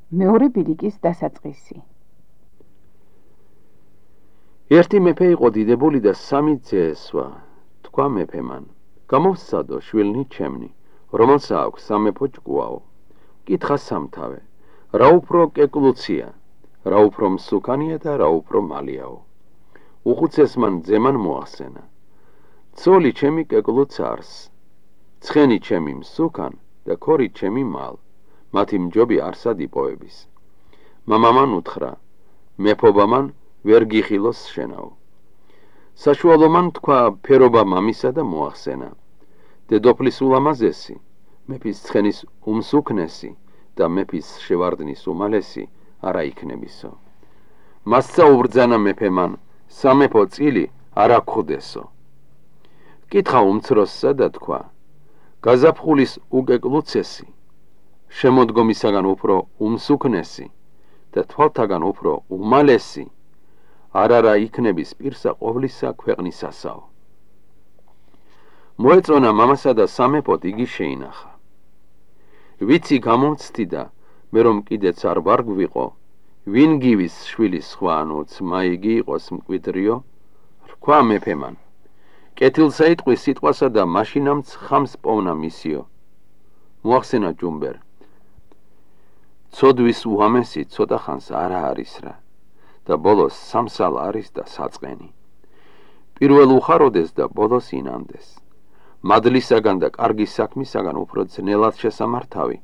მეორე ბილიკის დასაწყისი. ერთი მეფე იყო დიდებული და სამი ძე ესვა. თქვა მეფემან: გამოვსცადო შვილნი ჩემნი, რომელსაც აქვს სამეფო ჭკუაო. კითხა სამთავე: რა უფრო კეკლუცია, რა უფრო მსუქანია და რა უფრო მალიაო. უხუცესმან ძემან მოახსენა: ცოლი ჩემი კეკლუც არს, ცხენი ჩემი მსუქან და ქორი ჩემი მალ, მათი მჯობი არსად იპოვების. მამამან უთხრა: მეფობამან ვერ გიხილოს შენაო. საშუალომან თქვა ფერობა მამისა და მოახსენა: დედოფლის ულამაზესი, მეფის ცხენის უმსუქნესი და მეფის შევარდნის უმალესი არა იქნებისო. მასცა უბრძანა მეფემან: სამეფო წილი არა გხვდესო. კითხა უმცროსსა და თქვა: გაზაფხულის უკეკლუცესი, შემოდგომისაგან უფრო უმსუქნესი და თვალთაგან უფრო უმალესი არა იქნების პირსა ყოვლისა ქვეყნისასაო. მოეწონა მამასა და სამეფოდ იგი შეინახა. ვიცი გამომცდი და მე რომ კიდეც არ ვარ გვიყო, ვინ გივის შვილის სხვა ანუ ძმა იგი იყოს მკვიდრიო? რქვა მეფემან: კეთილსა იტყვის სიტყვასა და მაშინამც ხამს პოვნა მისიო. მოახსენა ჯუმბერ: ცოდვის უამესი ცოტა ხანს არა არის რა და ბოლოს სამსალ არის და საწყენი. პირველ უხაროდეს და ბოლოს ინანდეს. მადლისაგან და კარგი საქმისაგან უფრო ძნელად შესამართავი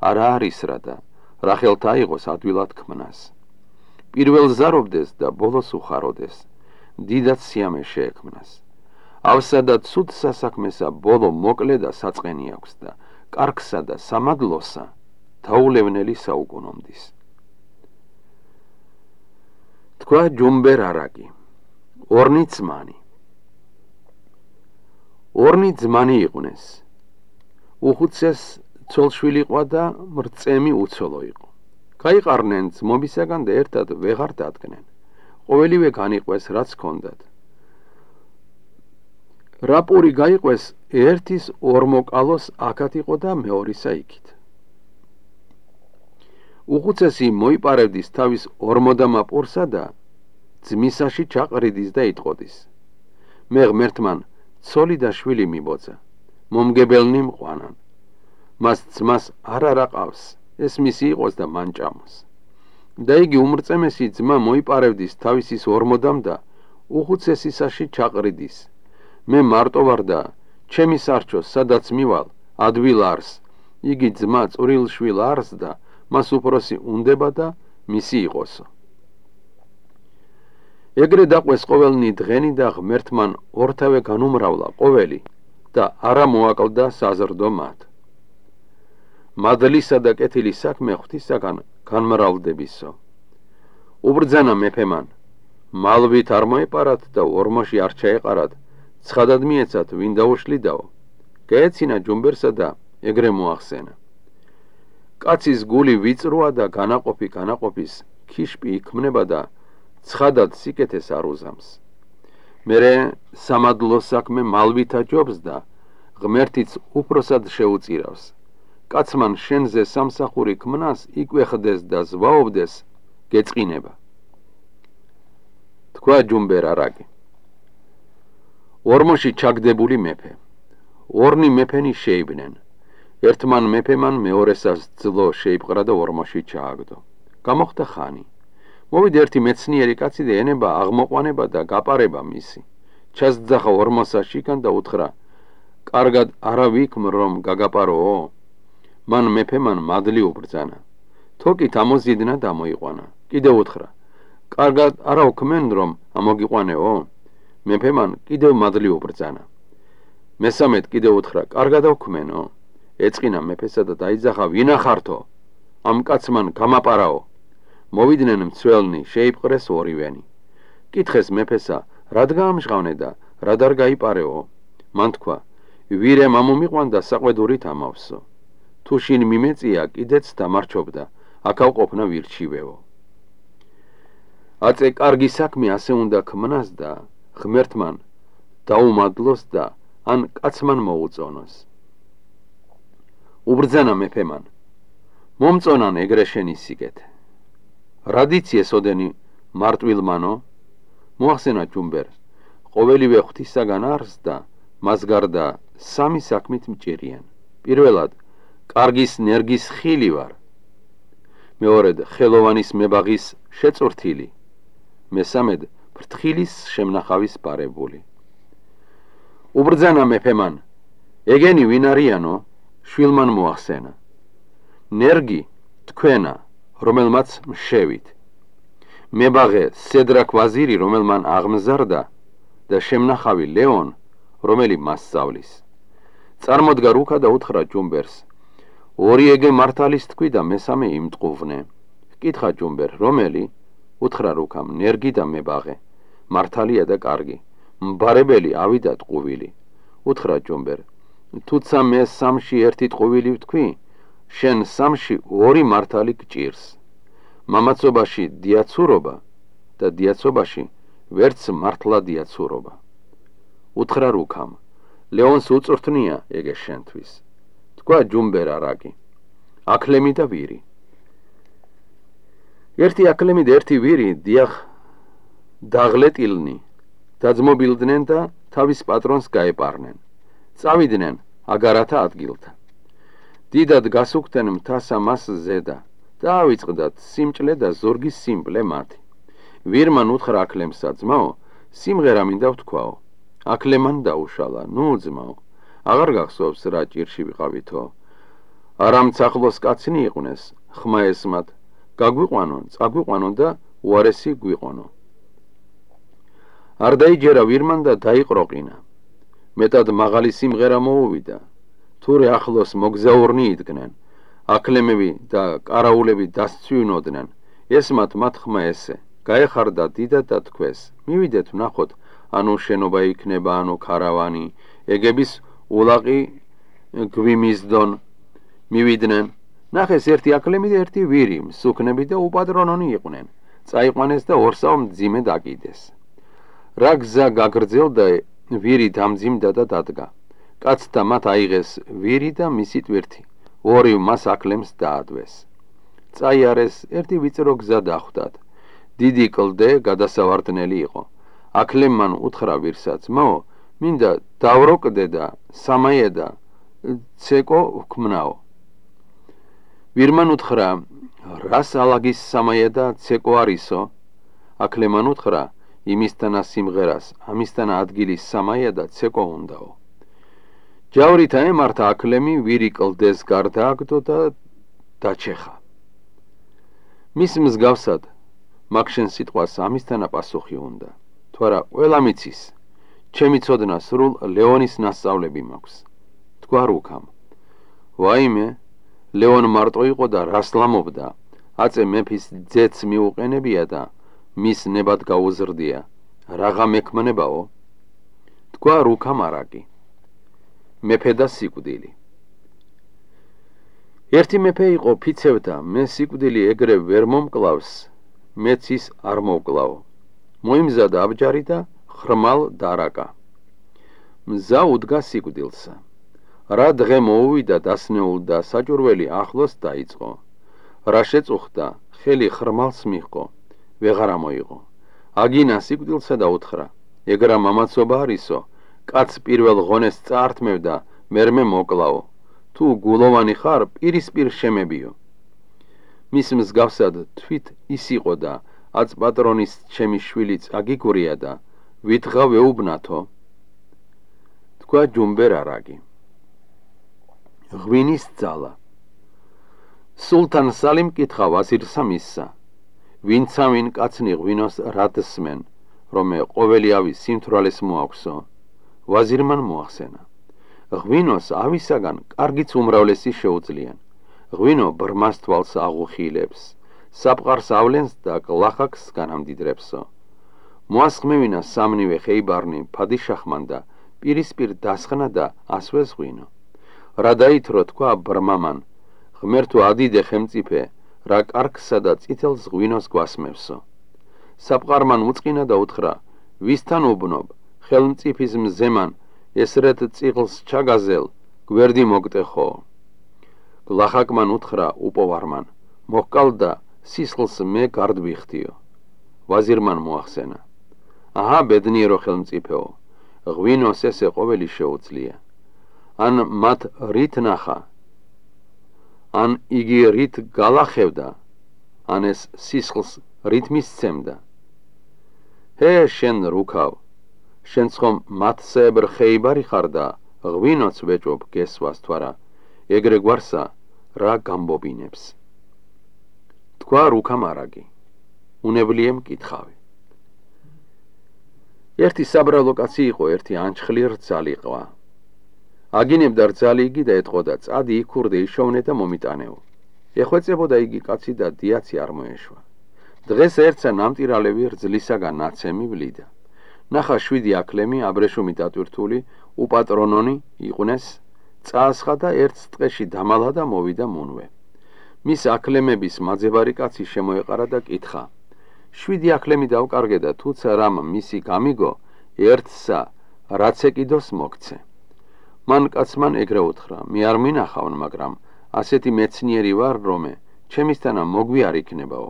არა არის რა და რა ხელთა აიღოს ადვილად ქმნას. პირველ ზარობდეს და ბოლოს უხაროდეს, დიდად სიამე შეექმნას. ავსა და ცუდ სასაქმესა ბოლო მოკლე და საწყენი აქვს და კარგსა და სამადლოსა თაულევნელი საუკუნომდის. თქვა ჯუმბერ არაკი: ორნი ძმანი. ორნი ძმანი იყვნენ. უხუცეს ცოლშვილი ყვა და მრწემი უცოლო იყო. გაიყარნენ ძმობისაგან და ერთად ვეღარ დადგნენ. ყოველივე განიყვეს რაც ჰქონდათ. რა პური გაიყვეს, ერთის ორმოკალოს აქად იყო და მეორისა იქით. უხუცესი მოიპარევდის თავის ორმოდამა პურსა და ძმისაში ჩაყრიდის და იტყოდის. მე ღმერთმან ცოლი და შვილი მიბოძა, მომგებელნი მყვანან. მას ძმას არ არაყავს, ეს მისი იყოს და მან ჭამოს. და იგი უმრწემესი ძმა მოიპარევდის თავისის ორმოდამ და უხუცესისაში ჩაყრიდის. მე მარტო ვარ და ჩემი სარჩო სადაც მივალ ადვილ არს, იგი ძმა წვრილ შვილ არს და მას უფროსი უნდება და მისი იყოსო. ეგრე დაყვეს ყოველნი დღენი და ღმერთმან ორთავე განუმრავლა ყოველი და არა მოაკლდა საზრდო მათ. მადლისა და კეთილი საქმე ღვთისაგან განმრავლდებისო. უბრძანა მეფემან: მალვით არ მოეპარათ და ორმოში არ ჩაეყარათ, ცხადად მიეცათ ვინ დაუშლიდაო. გაეცინა ჯუმბერსა და ეგრე მოახსენა: კაცის გული ვიწროა და განაყოფის ქიშპი იქმნება და ცხადად სიკეთეს არ უზამს. მერე სამადლო საქმე მალვითა ჯობს და ღმერთიც უფროსად შეუწირავს. კაცმან შენზე სამსახური ქმნას იკვეხდეს და ზვაობდეს, გეწყინება. თქვა ჯუმბერ არაკი: ორმოში ჩაგდებული მეფე. ორნი მეფენი შეიბნენ. ერთმან მეფემან მეორესას ძლო შეიპყრა და ორმოში ჩააგდო. გამოხდა ხანი. მოვიდა ერთი მეცნიერი კაცი და ენება აღმოყვანება და გაპარება მისი. ჩასძახა ორმოსაშიკან და უთხრა: კარგად არა ვიქმ რომ გაგაპაროო? მან მეფემან მადლი უბრძანა. თოკით ამოზიდნა და მოიყვანა. კიდევ უთხრა: კარგად არა უქმენ რომ ამოგიყვანეო? მეფემან კიდევ მადლი უბრძანა. მესამედ კიდევ უთხრა: კარგად აუქმენო? ეწყინა მეფესა და დაიძახა: ვინახართო? ამ კაცმან გამაპარაო. მოვიდნენ მცველნი, შეიპყრეს ორივენი. კითხეს მეფესა: რად გაამჟღავნე და რად არ გაიპარეო? მან თქვა: ვირე მამომიყვან და საყვედურით ამავსო. თუ შინ მიმეწია კიდეც დამარჩობდა, აქაო ყოფნა ვირჩივეო. აწე კარგი საქმე ასე უნდა ქმნას და ღმერთმან დაუმადლოს და ან კაცმან მოუწონოს. უბრძანა მეფემან: მომწონან ეგრე შენი სიკეთე. რადიციეს ოდენი მარტვილმანო, მოახსენა ჯუმბერ, ყოველივე ღვთისაგან არს და მას გარდა სამი საქმით მჭირიან. პირველად, კარგის ნერგის ხილი ვარ. მეორედ, ხელოვანის მებაღის შეწვრთილი. მესამედ, ფრთხილის შემნახავის პარებული. უბრძანა მეფემან, ეგენი ვინ არიანო? შვილმან მოახსენა. ნერგი თქვენა, რომელმაც მშევით. მებაღე სედრაქ ვაზირი, რომელმან აღმზარდა და შემნახავი ლეონ, რომელი მას სწავლის. წარმოდგა რუქა და უთხრა ჯუმბერს, ორი ეგე მართალის თქვი და მესამე იმტყუვნე. კითხა ჯუმბერ, რომელი? უთხრა რუქამ, ნერგი და მებაღე, მართალია და კარგი, მბარებელი ავიდა ტყუვილი. უთხრა ჯუმბერ, თუცა მე სამში ერთი ტყუვილი ვთქვი, შენ სამში ორი მართალი გჭირს. მამაცობაში დიაცურობა და დიაცობაში ვერც მართლა დიაცურობა. უთხრა რუქამ, ლეონს უწვრთნია ეგე შენთვის. თქვა ჯუმბერ არაკი, აკლემი და ვირი. ერთი აკლემი და ერთი ვირი დიახ დაღლეტილნი დაძმობილდნენ და თავის პატრონს გაეპარნენ. წავიდნენ აგარათა ადგილთა. დიდად გასუქდნენ მთასა მას ზედა და ავიწყდათ სიმჭლე და ზურგის სიმპლე მათი. ვირმან უთხრა აკლემსა, ძმაო, სიმღერა მინდა ვთქვაო. აკლემან დაუშალა, ნუ ძმაო, აღარ გახსოვს რა ჭირში ვიყავითო. არა მცახლოს კაცნი იყვნენ, ხმა ესმათ, გაგვიყვანონ, წაგვიყვანონ და უარესი გვიყონო. არ დაიჯერა ვირმან და დაიყროყინა. მეტად მაღალი სიმღერა მოუვიდა. თურე ახლოს მოგზაურნი იდგნენ, აკლემები და კარაულები დასცვივნოდნენ. ესმათ მათ ხმა ესე, გაეხარდა დიდად და თქვეს, მივიდეთ ვნახოთ, ანუ შენობა იქნება, ანუ ქარავანი, ეგების ულაყი გვიმისდონ. მივიდნენ, ნახეს ერთი აკლემი და ერთი ვირი, მსუქნები და უპატრონონი იყვნენ. წაიყვანეს და ორსავ მძიმე დაკიდეს. რა გზა გაგრძელდა, ვირი დამძიმდა და დადგა. კაცთა მათ აიღეს ვირი და მისი ტვირთი, ორი მას აკლემს დაადვეს. წაიარეს, ერთი ვიწრო გზა დახვდათ. დიდი კლდე გადასავარდნელი იყო. აკლემმან უთხრა ვირსა, ძმაო, მინდა დავროკდე და სამაია და ცეკო ვქმნაო. ვირმან უთხრა, რას ალაგის სამაია და ცეკო არისო? აკლემან უთხრა, იმისთანა სიმღერას, ამისთანა ადგილის სამაია და ცეკო უნდაო. ჯავრითა ემართა აკლემი, ვირი კლდეს გარდააგდო და დაჩეხა. მის მსგავსად, მაგ შენ სიტყვას ამისთანა პასუხი უნდა. თუ არა, ყველა მიცის, ჩემი ცოდნა სრულ ლეონის ნასწავლები მაქვს. თქვა რუქამ, ვაიმე, ლეონ მარტო იყო და რას ლამობდა, აწე მეფის ძეც მიუყენებია და მის ნებად გაუზრდია, რაღა მექმნებაო? თქვა რუქამ არაკი, მეფე და სიკვდილი. ერთი მეფე იყო ფიცევდა, მე სიკვდილი ეგრე ვერ მომკლავს, მეც ის არ მოვკლავ. მოიმზადა აბჯარი და ხრმალ დარაკა. მზა უდგა სიკვდილსა. რა დღე მოუვიდა დასნეულ და საჭურველი ახლოს დაიწყო. რა შეწუხდა, ხელი ხრმალს მიჰყო, ვეღარ ამოიღო. აგინა სიკვდილსა და უთხრა, ეგრა მამაცობა არისო, კაც პირველ ღონეს წაართმევ და მერმე მოკლაო. თუ გულოვანი ხარ, პირისპირ შემებიო. მის მსგავსად თვით ის იყო და აც პატრონის ჩემი შვილიც აგიგურია და ვითღა ვეუბნათო. თქვა ჯუმბერ არაგი. ღვინის ძალა. სულთან სალიმ კითხა ვაზირსა მისსა, ვინცავინ კაცნი ღვინოს რადსმენ, რომე ყოველი ავი სიმთვრალეს მოაქვსო. ვაზირმან მოახსენა, ღვინოს ავისაგან კარგიც უმრავლესი შეუძლიან. ღვინო ბრმას თვალს აღუხილებს, საფყარს ავლენს და კლახაკს განამდიდრებსო. მოასხმევინა სამნივე ხეიბარნი ფადიშახმან და პირისპირ დასხნა და ასვეს ღვინო. რა დაითრო თქვა ბრმამან, ღმერთო ადიდე ხემწიფე, რა კარგსა და წითელს ღვინოს გვასმევსო. საფყარმან უწყინა და უთხრა, ვისთან უბნობ, ხელმწიფის მზემან, ესრეთ წიღლს ჩაგაზელ, გვერდი მოგტეხო. ლახაკმან უთხრა უპოვარმან, მოჰკალდა სისხლს მე გარდვიხდიო. ვაზირმან მოახსენა. აჰა, ბედნიერო ხელმწიფეო, ღვინოს ესე ყოველი შეუძლია. ან მათ რით ნახა, ან იგი რით გალახევდა, ან ეს სისხლს რით მისცემდა. ჰე, შენ რუქავ, შენც ხომ მათსეებრ ხეიბარი ხარ და ღვინოც ვეჭობ გესვას თვარა, ეგრე გვარსა რა გამბობინებს. თქვა რუქა მარაგი, უნებლიე მკითხავი. ერთი საბრალო კაცი იყო, ერთი ანჩხლი რძალი ყვა. აგინებდა რძალი იგი და ეტყოდა, წადი იქურდე იშოვნე და მომიტანეო. ეხვეწებოდა იგი კაცი და დიაცი არ მოეშვა. დღეს ერთსა ნამტირალევი რძლისაგან ნაცემი ვლიდა. ნახა 7 აკლემი აბრეშუმი დატვირთული უპატრონონი იყვნეს, წაასხა და ერთ ტყეში დამალა და მოვიდა მუნვე. მის აკლემების მაძებარი კაცი შემოეყარა და კითხა. 7 აკლემი დავკარგე და თუცა რამ მისი გამიგო, ერთსა რაც ეკიდოს მოგცე. მან კაცმან ეგრე უთხრა, მე არ მინახავ, მაგრამ ასეთი მეცნიერი ვარ, რომე ჩემისთანა მოგვი არ იქნებაო.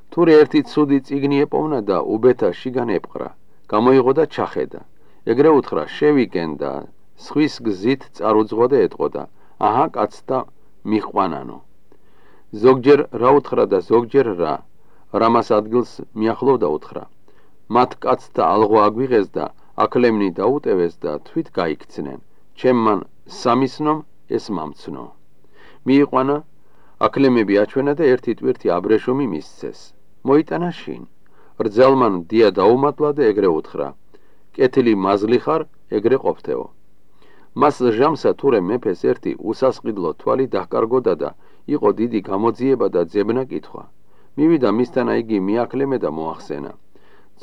თურე ერთი ცუდი წიგნი ეპოვნა და უბეთა შიგან ეპყრა, გამოიღო და ჩახედა. ეგრე უთხრა, შევიკენ და სხვის გზით წარუძღვა და ეტყოდა, აჰა, კაცთა მიყვანანო. ზოგჯერ რა უთხრა და ზოგჯერ რა, რამას ადგილს მიახლოვდა უთხრა. მათ კაცთა ალღვა აგვიღეს და აკლემნი დაუტევეს და თვით გაიქცნენ. ჩემმან სამისნომ ეს მამცნო. მიიყვანა, აკლემები აჩვენა და ერთი ტვირთი აბრეშუმი მისცეს. მოიტანა შინ. რძალმან დია დაუმატლა და ეგრე უთხრა, კეთილი მაზლი ხარ, ეგრე ყოფთეო. მას ჟამსა თურე მეფეს ერთი უსასყიდლო თვალი დაჰკარგოდა და იყო დიდი გამოძიება და ძებნა კითხვა. მივიდა მისთანა იგი მიაკლემე და მოახსენა.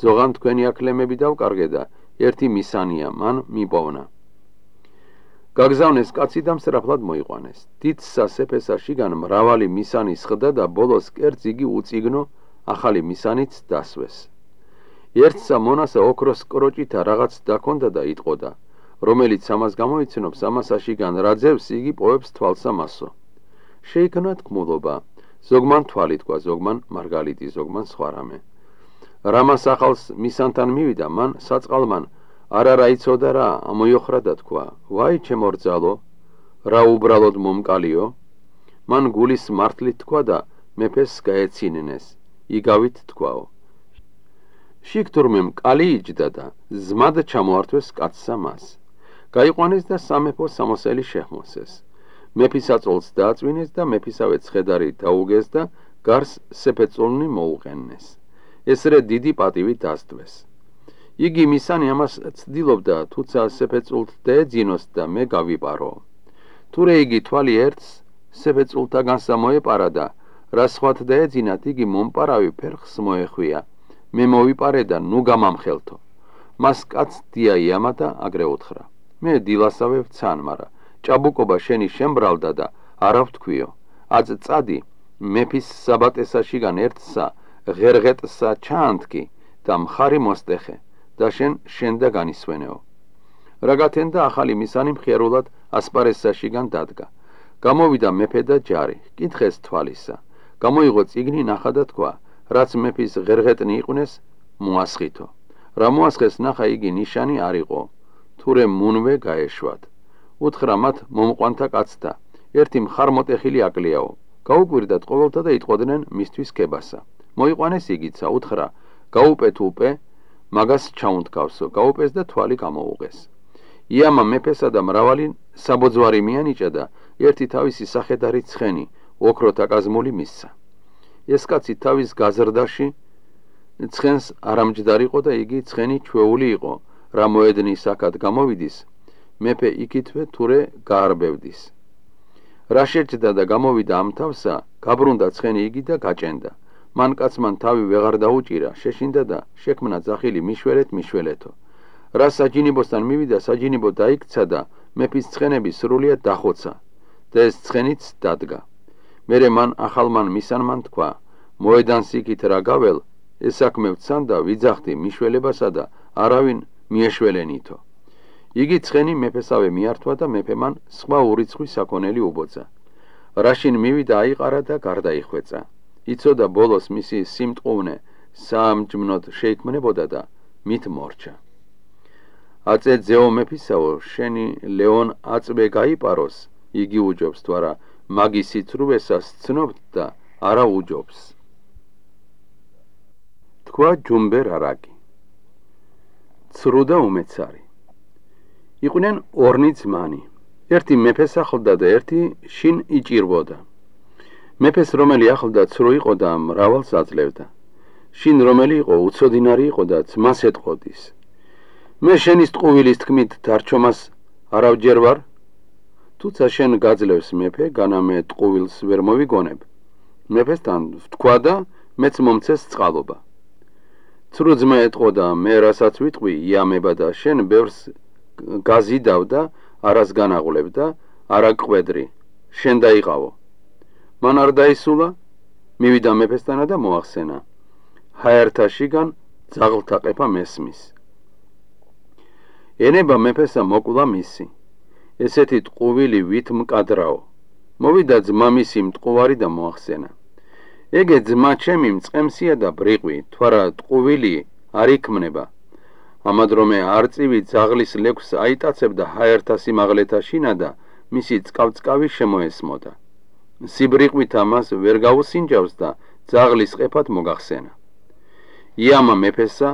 ძოღან თქვენი აკლემები დავკარგე და ერთი მისანია მან მიპოვნა. გაგზავნეს კაცი და მსრაფლად მოიყვანეს. დიდ სასეფესა შიგან მრავალი მისანი სხდა და ბოლოს კერძ იგი უწიგნო, ახალი მისანიც დასვეს. ერთსა მონასა ოქროს კროჭითა რაღაც დაქონდა და იტყოდა, რომელიც ამას გამოიცნობს, ამასა შიგან რა ძევს, იგი პოვებს თვალსა მასო. შეიქმნა თქმულობა, ზოგმან თვალი თქვა, ზოგმან მარგალიტი, ზოგმან სხვა რამე. რამას ახალს მისანთან მივიდა, მან საწყალმან არა იცოდა რა, ამოიოხრა და თქვა, ვაი ჩემო რძალო, რა უბრალოდ მომკალიო. მან გულის მართლით თქვა და მეფეს გაეცინენეს, იგავით თქვაო. შიგ თურმე მკალი იჯდა და ზმად ჩამოართვეს კაცსა მას. გაიყვანეს და სამეფო სამოსელი შეჰმოსეს. მეფისაწოლს დააწვინეს და მეფისავე ცხედარი დაუგეს და გარს სეფეწოლნი მოუყენეს. ესრე დიდი პატივი დასდვეს. იგი მისანი ამას ცდილობდა, თუცა სეფეწულთ დაეძინოს და მე გავიპარო. თურე იგი თვალი ერთს სეფეწულთაგანსა მოეპარა და რა სხვათ დაეძინათ, იგი მომპარავი ფერხს მოეხვია. მე მოვიპარე და ნუ გამამხელთო. მას კაც დია იამა და აგრე უთხრა. მე დილასავე ვცან, მარა ჭაბუკობა შენი შემბრალდა და არა ვთქვიო. აწ წადი მეფის საბატესა შიგან ერთსა ღერღეტსა ჩაანთქი და მხარი მოსტეხე და შენდა განისვენეო. რა გათენდა ახალი მისანი მხიარულად ასპარესსა შიგან დადგა. გამოვიდა მეფე და ჯარი, კითხეს თვალისა. გამოიღო წიგნი, ნახა და თქვა, რაც მეფის ღერღეტნი იყვნეს, მოასხითო. რა მოასხეს ნახა, იგი ნიშანი არ იყო, თურე მუნვე გაეშვათ. უთხრა მათ მომყვანთა კაცთა, ერთი მხარმოტეხილი აკლიაო. გაუკვირდათ ყოველთა და იტყოდნენ მისთვის ქებასა. მოიყვანეს იგიცა, უთხრა, გაუპეთ უპე, მაგას ჩაუნთქავსო, გაუპეს და თვალი გამოუღეს. იამა მეფესა და მრავალი საბოძვარი მიანიჭა და ერთი თავისი სახედარი ცხენი, ოქროთა კაზმული მისცა. ეს კაცი თავის გაზრდაში ცხენს არამჯდარიყო და იგი ცხენი ჩვეული იყო, რა მოედნის აქად გამოვიდის, მეფე იქითვე თურე გაარბევდის. რა შეჭდა და გამოვიდა ამ თავსა, გაბრუნდა ცხენი იგი და გაჭენდა. მან კაცმან თავი ვეღარ დაუჭირა, შეშინდა და შექმნა ძახილი მიშველეთო. რა საჯინიბოსთან მივიდა, საჯინიბო დაიქცა და მეფის ცხენები სრულიად დახოცა და ეს ცხენიც დადგა. მერე მან ახალმან მისანმან თქვა, მოედანს იქით რა გაվել, ეს საქმე ვცან და ვიძახდი მიშველებასა და არავინ მიეშველენითო. იგი ცხენი მეფესავე მიართვა და მეფემან სხვა ურიცხვი საქონელი უბოცა. რაშინ მივიდა აიყარა და გარდაიხვეწა. იცოდა ბოლოს მისი სიმტყუნე საამჯმნოდ შეიქმნებოდა და მით მორჩა. აწე ძეო მეფისაო, შენი ლეონ აწვე გაიპაროს, იგი უჯობს თუ არა მაგის სიცრუვესას ცნობთ და არა უჯობს. თქვა ჯუმბერ არაკი. ცრუ და უმეცარი. იყვნენ ორნი ძმანი. ერთი მეფეს ახლდა და ერთი შინ იჭირვოდა. მეფეს რომელი ახლდა ცრუ იყო და მრავალს აძლევდა. შინ რომელი იყო უცოდინარი იყო და ძმას ეტყოდის. მე შენის ტყუვილის თქმით დარჩომას არავჯერ ვარ? თუცა შენ გაძლევს მეფე, განა მე ტყუვილს ვერ მოვიგონებ. მეფესთან ვთქვა და მეც მომცეს წყალობა. ცრუ ძმა ეტყოდა, მე რასაც ვიტყვი იამება და შენ ბევრს გაზიდავ და არას განაღვლებ და არა ყვედრი, შენ დაიყავო. მან არ დაისულა, მივიდა მეფესთანა და მოახსენა. ჰაერთა შიგან ძაღლთა ყეფა მესმის. ენება მეფესა მოკვლა მისი. ესეთი ტყუვილი ვით მკადრაო. მოვიდა ძმა მისი მტყუარი და მოახსენა. ეგე ძმა ჩემი მწყემსია და ბრიყვი, თუ არა ტყუვილი არ იქმნება. ამადრომე არწივი ძაღლის ლექვს აიტაცებდა ჰაერთა სიმაღლეთა შინა და მისი წყავწყავი შემოესმოდა. სიბრიყვით ამას ვერ გაუსინჯავს და ძაღლის ყეფად მოგახსენა. იამა მეფესა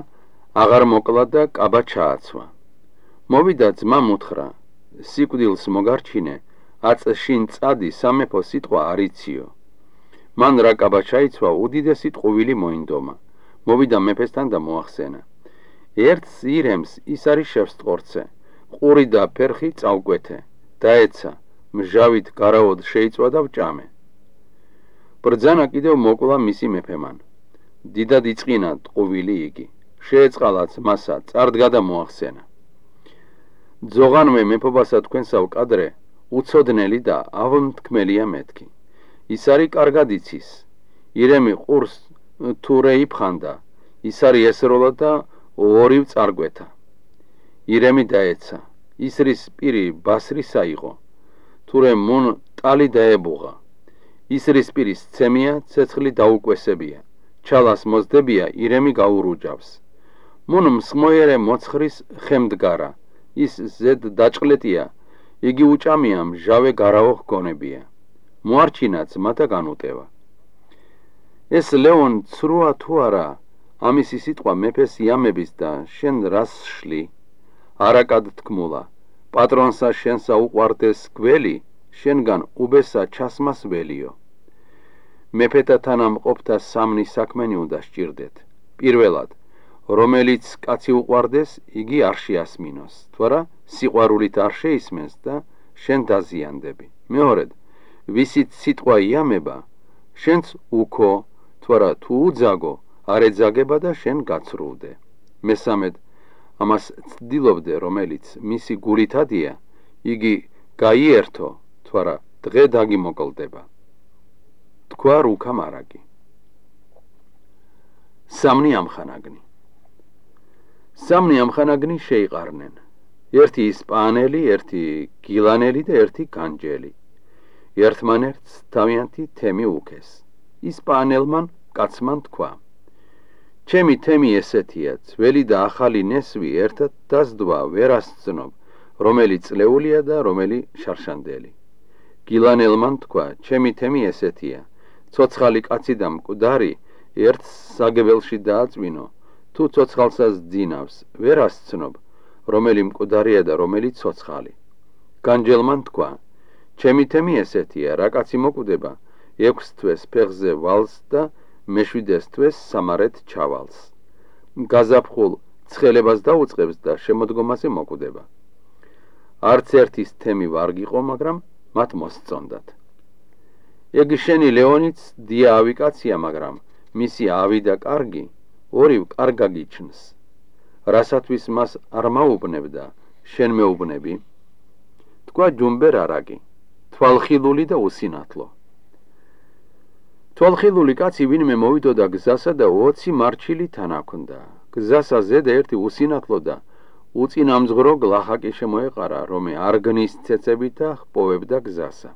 აღარ მოკლა და კაბა ჩააცვა. მოვიდა ძმა მუთხრა, სიკვდილს მოგარჩინე, აწშინ წადი სამეფო სიტყვა არიციო. მან რა კაბა ჩაიცვა, უდიდესი ტყუვილი მოინდომა. მოვიდა მეფესთან და მოახსენა. ერთს ირემს ის არის შევსტყორცე, ყური და ფერხი წავკვეთე, დაეცა, მჟავით გარაოდ შეიწვა და ვჭამე. ბრძანა კიდევ მოკლა მისი მეფემან. დიდად იწყინა ტყუვილი იგი, შეეწყალა ძმასა, წარდგა და მოახსენა. ძოღანმე მეფობასა თქვენსავ კადრე, უცოდნელი და ავმთქმელია მეთქი. ის არის კარგად იცის, ირემი ყურს თურე იფხანდა, ის არის ესროლა და ორივ წარგვეთა. ირემი დაეცა, ისრის პირი ბასრისა იყო, თურე მუნ ტალი დაებუღა. ისრის პირის ცემია, ცეცხლი დაუკვესებია, ჩალას მოზდებია, ირემი გაურუჯავს. მუნ მსმოიერე მოცხრის ხემდგარა, ის ზედ დაჭყლეტია, იგი უჭამია, მჟავე გარაო ჰგონებია. მოარჩინა ძმათა განუტევა. ეს ლეონ ცრუა თუ არა, ამისი სიტყვა მეფეს იამების და შენ რას შლი? არაკად თქმულა, პატრონსა შენსა უყვარდეს გველი, შენგან უბესა ჩასმას ველიო. მეფეთა თანამყოფთა სამნი საქმენი უნდა სჭირდეთ. პირველად, რომელიც კაცი უყვარდეს, იგი არ შეასმინოს, თუ არა სიყვარულით არ შეისმენს და შენ დაზიანდები. მეორედ, ვისით სიტყვა იამება, შენც უქო, თუ არა თუ უძაგო, არ ეძაგება და შენ გაცრუვდე. მესამედ, ამას ცდილობდე, რომელიც მისი გულითადია, იგი გაიერთო, თუ არა დღე დაგიმოკლდება. თქვა რუქა მარაკი. სამნი ამხანაგნი. სამნი ამხანაგნი შეიყარნენ. ერთი ისპანელი, ერთი გილანელი და ერთი განჯელი. ერთმანერთს თავიანთი თემი უქეს. ისპანელმან კაცმან თქვა, ჩემი თემი ესეთია, ძველი და ახალი ნესვი ერთად დასდვა ვერ ასწნობ, რომელი წლეულია და რომელი შარშანდელი. გილანელმან თქვა, ჩემი თემი ესეთია, ცოცხალი კაცი და მკვდარი ერთს საგებელში დააწვინო, თუ ცოცხალსას ძინავს, ვერ ასწნობ, რომელი მკვდარია და რომელი ცოცხალი. განჯელმან თქვა, ჩემი თემი ესეთია, რა კაცი მოკვდება, 6 თვეს ფეხზე ვალს და მეშვიდეს თვეს სამარეთ ჩავალს. გაზაფხულ ცხელებას დაუწყებს და შემოდგომაზე მოკვდება. არც ერთის თემი ვარ გიყო, მაგრამ მათ მოსწონდათ. ეგ შენი ლეონიც დია ავი კაცია, მაგრამ მისი ავი და კარგი ორივ კარგა გიჩნს. რასათვის მას არ მაუბნებ და შენ მეუბნები? თქვა ჯუმბერ არაკი, თვალხილული და უსინათლო. თვალხილული კაცი ვინმე მოვიდოდა გზასა და 20 მარჩილი თან აქნდა. გზასა ზედა ერთი უსინათლო და უწინამძღრო გლახაკი შემოეყარა, რომე არ გნის ცეცებით და ჰპოვებდა გზასა.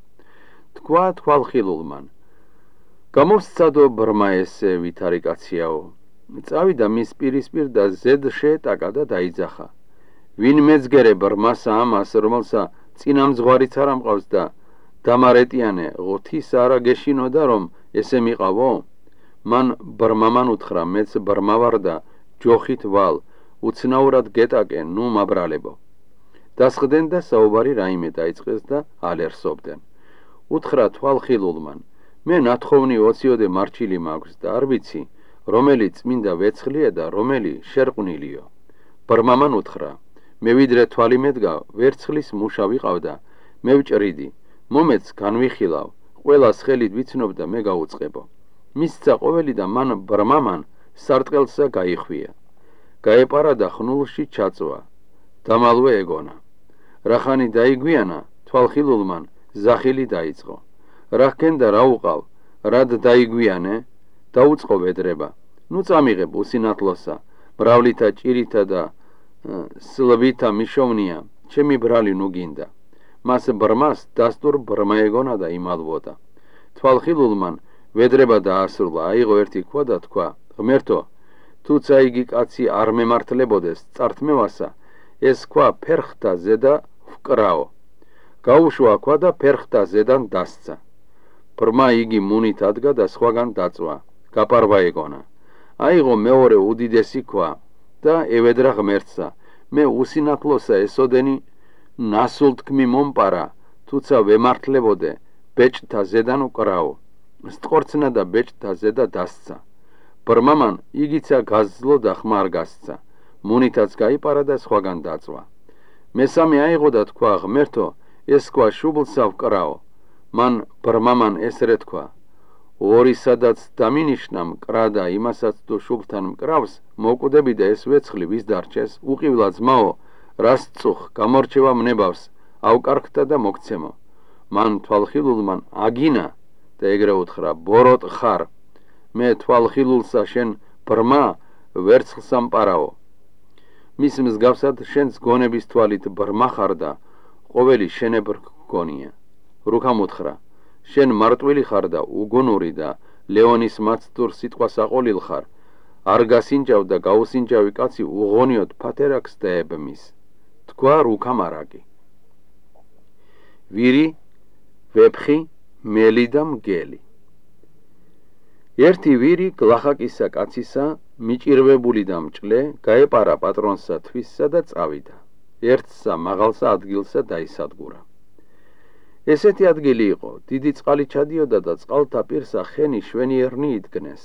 თქვა თვალხილულმან. გამოსცადო ბრმა ესე ვითარი კაციაო. წავიდა მის პირისპირ და ზედ შეეტაკა და დაიძახა. ვინ მეძგერე ბრმასა ამას, რომელსა წინამძღვარიც არ ამყავს და დამარეტიანე ღოთის არა გეშინოდა, რომ ესე მიყავო? მან ბრმამან უთხრა, მეც ბრმა ვარ და ჯოხით ვალ, უცნაურად გეტაკე, ნუ მაბრალებო. დასხდნენ და საუბარი რაიმე დაიწყეს და ალერსობდნენ. უთხრა თვალხილულმან, მე ნათხოვნი 20-ოდე მარჩილი მაქვს და არ ვიცი, რომელი წმინდა ვეცხლია და რომელი შერყვნილიო. ბრმამან უთხრა, მე ვიდრე თვალი მედგა, ვერცხლის მუშა ვიყავდა, მე ვჭრიდი, მომეც განვიხილავ, ყველას ხელით ვიცნობ და მე გაუწყებო. მისცა ყოველი და მან ბრმამან სარტყელსა გაიხვია. გაეპარა და ხნულში ჩაწვა, დამალვე ეგონა. რახანი დაიგვიანა, თვალხილულმან ზახილი დაიწყო. რა ჰქენდა რა უყავ, რად დაიგვიანე? დაუწყო ვედრება. ნუ წამიღებ უსინათლოსა, მრავლითა ჭირითა და სლვითა მიშოვნია, ჩემი ბრალი ნუ გინდა. მას ბრმას დასტურ ბრმა ეგონა და იმალვოდა. თვალხილულმან ვედრება დაასრულა, აიღო ერთი ქვა და თქვა, ღმერთო, თუცა იგი კაცი არ მემართლებოდეს წართმევასა, ეს ქვა ფერხთა ზედა ვკრაო. გაუშვა ქვა და ფერხთა ზედან დასცა. ბრმა იგი მუნით ადგა და სხვაგან დაწვა, გაპარვა ეგონა. აიღო მეორე უდიდესი ქვა და ევედრა ღმერთსა, მე უსინათლოსა ესოდენი ნასულ თქმი მომპარა, თუცა ვემართლებოდე ბეჭდთა ზედან ვკრაო. სტყორცნა და ბეჭდთა ზედა დასცა. ბრმამან იგიცა გაზძლო და ხმარ გასცა, მუნითაც გაიპარა და სხვაგან დაწვა. მესამე აიღო და თქვა, ღმერთო, ეს ქვა შუბლსა ვკრაო. მან ბრმამან ესრე თქვა, ორი სადაც დამინიშნა მკრა და იმასაც თუ შუბლთან მკრავს, მოკვდები და ეს ვეცხლი ვის დარჩეს, უყივლა ძმაო, რას წუხ გამორჩევა მნებავს, ავკარგთა და მოგცემო. მან თვალხილულმან აგინა და ეგრე უთხრა, ბოროტ ხარ, მე თვალხილულსა შენ ბრმა ვერცხლსა მპარაო. მის მსგავსად შენს გონების თვალით ბრმა ხარ და ყოველი შენებრ გონია. რუქამ უთხრა, შენ მარტვილი ხარ და უგუნური და ლეონის მაცდურ სიტყვას აყოლილ ხარ, არ გასინჯავ და გაუსინჯავი კაცი უღონიოდ ფათერაკს დაებმის. თქვა რუქამ არაკი. ვირი, ვეფხი, მელი და მგელი. ერთი ვირი გლახაკისა კაცისა, მიჭირვებული და მჭლე, გაეპარა პატრონსა თვისსა და წავიდა. ერთსა მაღალსა ადგილსა დაისადგურა. ესეთი ადგილი იყო, დიდი წყალი ჩადიოდა და წყალთა პირსა ხენი შვენიერნი იდგნეს.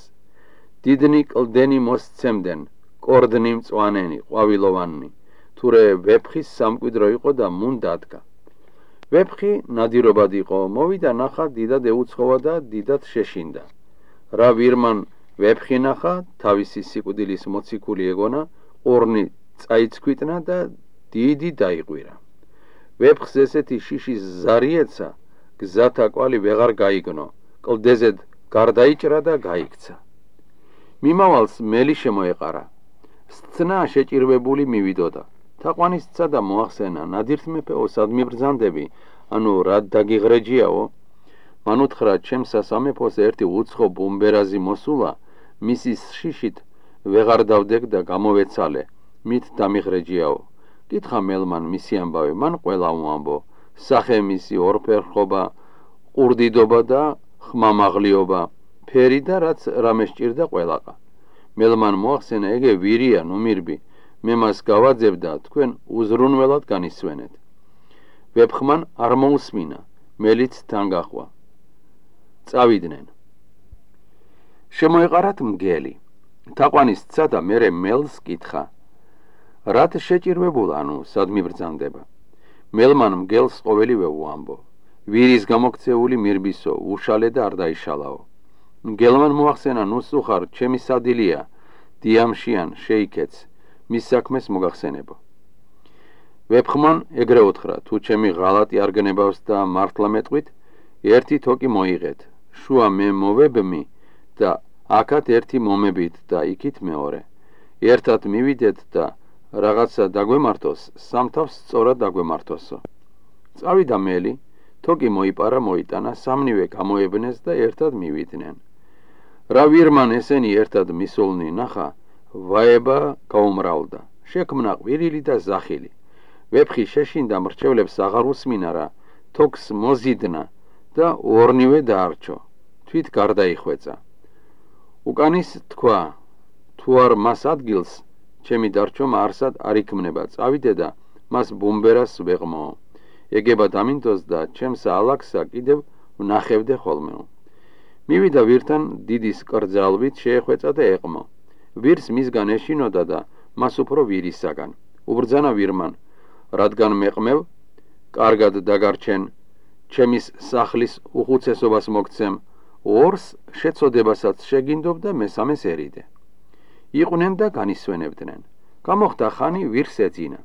დიდნი კლდენი მოსცემდნენ, კორდნი მწვანენი, ყვავილოვანი, თურე ვეფხის სამკვიდრო იყო და მუნ დადგა. ვეფხი ნადირობად იყო, მოვიდა ნახა, დიდად ეუცხოვა და დიდად შეშინდა. რა ვირმან ვეფხი ნახა, თავისი სიკვდილის მოციქული ეგონა, ყორნი წაიცქვიტნა და დიდი დაიყვირა. ვეფხს ესეთი შიშის ზარი ეცა, გზათა კვალი ვეღარ გაიგნო, კლდეზედ გარდაიჭრა და გაიქცა. მიმავალს მელი შემოეყარა. სცნა შეჭირვებული მივიდოდა. თაყვანისცა და მოახსენა, ნადირთ მეფეო, სად მიბრძანდები, ანუ რად დაგიღრეჯიაო? მან უთხრა, ჩემსა სამეფოს ერთი უცხო ბუმბერაზი მოსულა, მისის შიშით ვეღარ დავდეგ და გამოვეცალე, მით დამიღრეჯიაო. კითხა მელმან მისი ამბავი, მან ყველა უამბო, სახე მისი ორფერხობა, ყურდიდობა და ხმამაღლიობა, ფერი და რაც რამე სჭირდა ყველაყა. მელმან მოახსენა, ეგე ვირია, ნუ მირბი, მე მას გავაძებ და თქვენ უზრუნველად განისვენეთ. ვეფხმან არ მოусმინა, მელიც თან გახვა. წავიდნენ. შემოეყარათ მგელი. თაყვანისცა და მერე მელს კითხა, რათ შეჭირვებულა, ანუ სად მიბრძანდება? მელმან მგელს ყოველივე უამბო. ვირის გამოქცეული მირბისო, უშალე და არ დაიშალაო. მგელმან მოახსენა, ნუ სუხარ, ჩემი სადილია, დიამშიან შეიქეც, მის საქმეს მოგახსენებო. ვეფხმან ეგრე უთხრა, თუ ჩემი ღალატი არ გნებავს და მართლა მეტყვით, ერთი თოკი მოიღეთ, შუა მე მოვებმი და აქათ ერთი მომებით და იქით მეორე. ერთად მივიდეთ და რაღაცა დაგვემართოს, სამთავს სწორად დაგვემართოსო. წავიდა მელი, თოკი მოიპარა მოიტანა, სამნივე გამოებნეს და ერთად მივიდნენ. რა ვირმან ესენი ერთად მისულნი ნახა, ვაება გაუმრავლდა. შექმნა ყვირილი და ზახილი. ვეფხი შეშინდა მრჩევლებს აღარ უსმინა რა, თოქს მოზიდნა და ორნივე დაარჩო. თვით გარდაიხვეწა. უკანის თქვა, თუ არ მას ადგილს, ჩემი დარჩომა არსად არ იქმნება, წავიდე და მას ბუმბერას ვეღმო. ეგება დამინდოს და ჩემს ალაქსა კიდევ ვნახევდე ხოლმეო. მივიდა ვირთან დიდის კრძალვით შეეხვეწა და ეყმო. ვირს მისგან ეშინოდა და მას უფრო ვირისაგან. უბრძანა ვირმან, რადგან მეყმევ, კარგად დაგარჩენ, ჩემის სახლის უხუცესობას მოგცემ, ორს შეწოდებასაც შეგინდობ და მესამეს ერიდე. იყვნენ და განისვენებდნენ. გამოხდა ხანი ვირს ეძინა.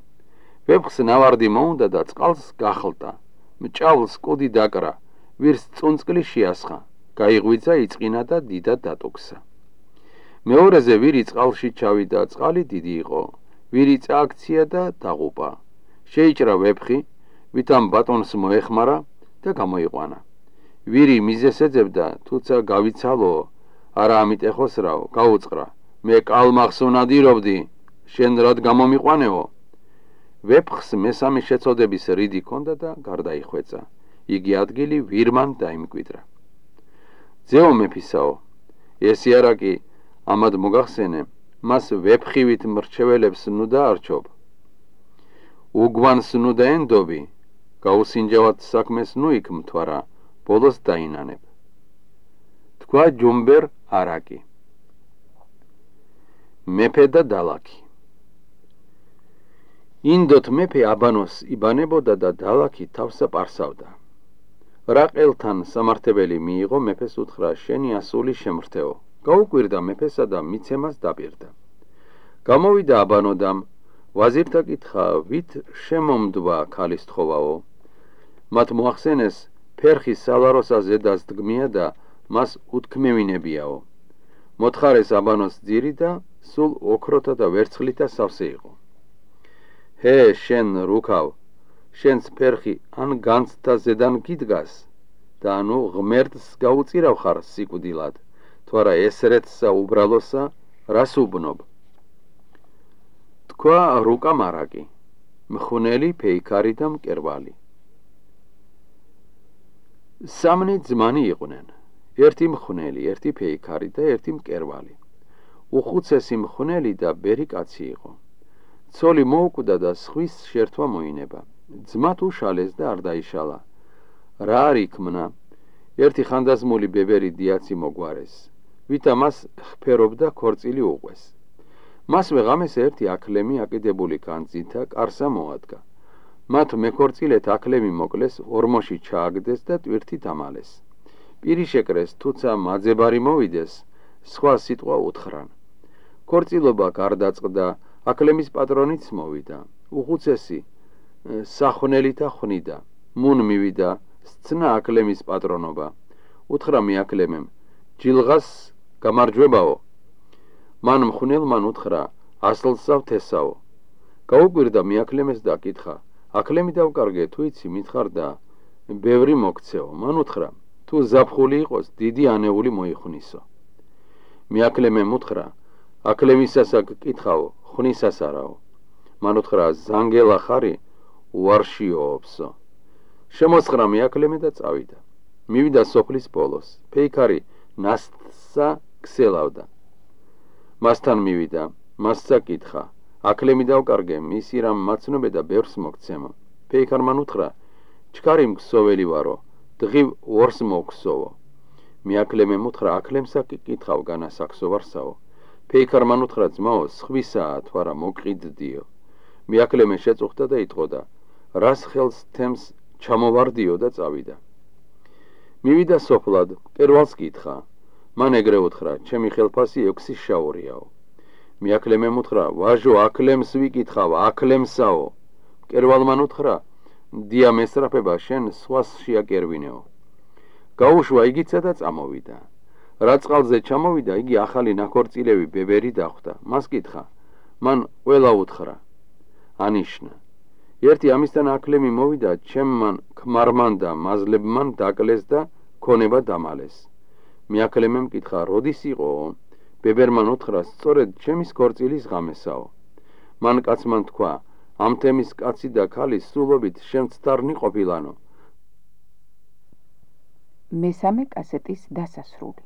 ვეფხს ნავარდი მოუნდა და წყალს გახლტა. მჭავლს კუდი დაკრა, ვირს წუნწკლი შეასხა. გაიღვიძა, იწყინა და დიდად დატუქსა. მეორეზე ვირი წყალში ჩავიდა, წყალი დიდი იყო. ვირი წააქცია და დაღუპა. შეიჭრა ვეფხი, ვითამ ბატონს მოეხმარა და გამოიყვანა. ვირი მიზეს ეძებდა, თუცა გავიცალო, არა ამიტეხოს რაო, გაუწყრა. მე კალმახს უნადირობდი, შენ რად გამომიყვანეო? ვეფხს მესამე შეწოდების რიდი ჰქონდა და გარდაიხვეწა. იგი ადგილი ვირმან დაიმკვიდრა. ძეო მეფისაო, ესი არა კი ამად მოგახსენე, მას ვეფხივით მრჩეველებს ნუ დაარჩობ. უგვანს ნუ დაენდობი, გაუსინჯავად საქმეს ნუ იქ მთვარა, ბოლოს დაინანებ. თქვა ჯუმბერ არაკი. მეფე და დალაქი. ინდოთ მეფე აბანოს იბანებოდა და დალაქი თავსა პარსავდა. რაყელთან სამართებელი მიიღო, მეფეს უთხრა, შენი ასული შემრთეო. გაუკვირდა მეფესა და მიცემას დაპირდა. გამოვიდა აბანოდამ, ვაზირთა კითხა, ვით შემომდვა ქალის თხოვაო? მათ მოახსენეს, ფერხი სალაროსა ზედას დგმია და მას უთქმევინებიაო. მოთხარეს აბანოს ძირი და სულ ოქროთა და ვერცხლითა სავსე იყო. ჰე, შენ რუქავ, შენს ფერხი ან განცდა ზედან გიდგას და ანუ ღმერთს გაუწირავ ხარ სიკვდილად, თუ არა ესრეთსა უბრალოსა რას უბნობ? თქვა რუკა მარაკი, მხუნელი, ფეიქარი და მკერვალი. სამნი ძმანი იყვნენ, ერთი მხუნელი, ერთი ფეიქარი და ერთი მკერვალი. უხუცესი მხუნელი და ბერი კაცი იყო. ცოლი მოუკვდა და სხვის შერთვა მოინება. ძმა თუ შალეს და არ დაიშალა. რა არ იქმნა? ერთი ხანდაზმული ბებერი დიაცი მოგვარეს, ვითა მას ხფერობდა ქორწილი უყვეს. მასვე ღამეს ერთი აკლემი აკიდებული განძითა კარსა მოადგა. მათ მეკორწილეთ აკლემი მოკლეს, ორმოში ჩააგდეს და ტვირთი დამალეს. პირი შეკრეს, თუცა მაძებარი მოვიდეს, სხვა სიტყვა უთხრან. ქორწილობა გარდაწყდა, აკლემის პატრონიც მოვიდა. უხუცესი სახვნელითა ხვნიდა. მუნ მივიდა, სცნა აკლემის პატრონობა. უთხრა მიაკლემემ, ჯილღას გამარჯვებაო. მან მხვნელმან უთხრა, ასლსავ თესაო. გაუკვირდა მიაკლემეს და კითხა, აკლემი დავკარგე, თუ იცი მითხარ და ბევრი მოგცეო. მან უთხრა, თუ ზაფხული იყოს, დიდი ანეული მოიხვნისო. მიაკლემემ უთხრა, აკლემისასა გკითხაო, ხვნისას არაო. მან უთხრა, ზანგელა ხარი, უარშიოობსო. შემოსხრა მიაკლემე და წავიდა. მივიდა სოფლის ბოლოს. ფეიქარი ნასტსა ქსელავდა. მასთან მივიდა, მასსა კითხა, აკლემი დავკარგე, მისი რამ მაცნობე და ბევრს მოგცემო. ფეიქარმან უთხრა, ჩქარი მქსოველი ვარო, დღივ ორს მოგქსოვო. მიაკლემემ უთხრა, აკლემსა კითხავ, განასაქსო ვარსაო. ფეიქარმან უთხრა, ძმაო, სხვისაა, თუ არა მოგყიდდიო. მიაკლემე შეწუხდა და იტყოდა, რას ხელს თემს ჩამოვარდიო და წავიდა. მივიდა სოფლად, მკერვალს კითხა. მან ეგრე უთხრა, ჩემი ხელფასი 6 შაურიაო. მიაკლემემ უთხრა, ვაჟო, აკლემს ვიკითხავ, აკლემსაო. მკერვალმან უთხრა, დია მესწრაფება, შენ სხვას შეაკერვინეო. გაუშვა იგიცა და წამოვიდა. რა წყალზე ჩამოვიდა, იგი ახალი ნაქორწილევი ბებერი დახვდა. მას კითხა, მან ყველა უთხრა, ანიშნა. ერთი ამისთან აკლემი მოვიდა, ჩემმან ქმარმან და მაზლებმან დაკლეს და ქონება დამალეს. მე აკლემემ კითხა, როდის იყო? ბებერმან უთხრა, სწორედ ჩემის ქორწილის ღამესაო. მან კაცმან თქვა, ამ თემის კაცი და ქალი სულობით შემცდარნი ყოფილანო. მესამე კასეტის დასასრული.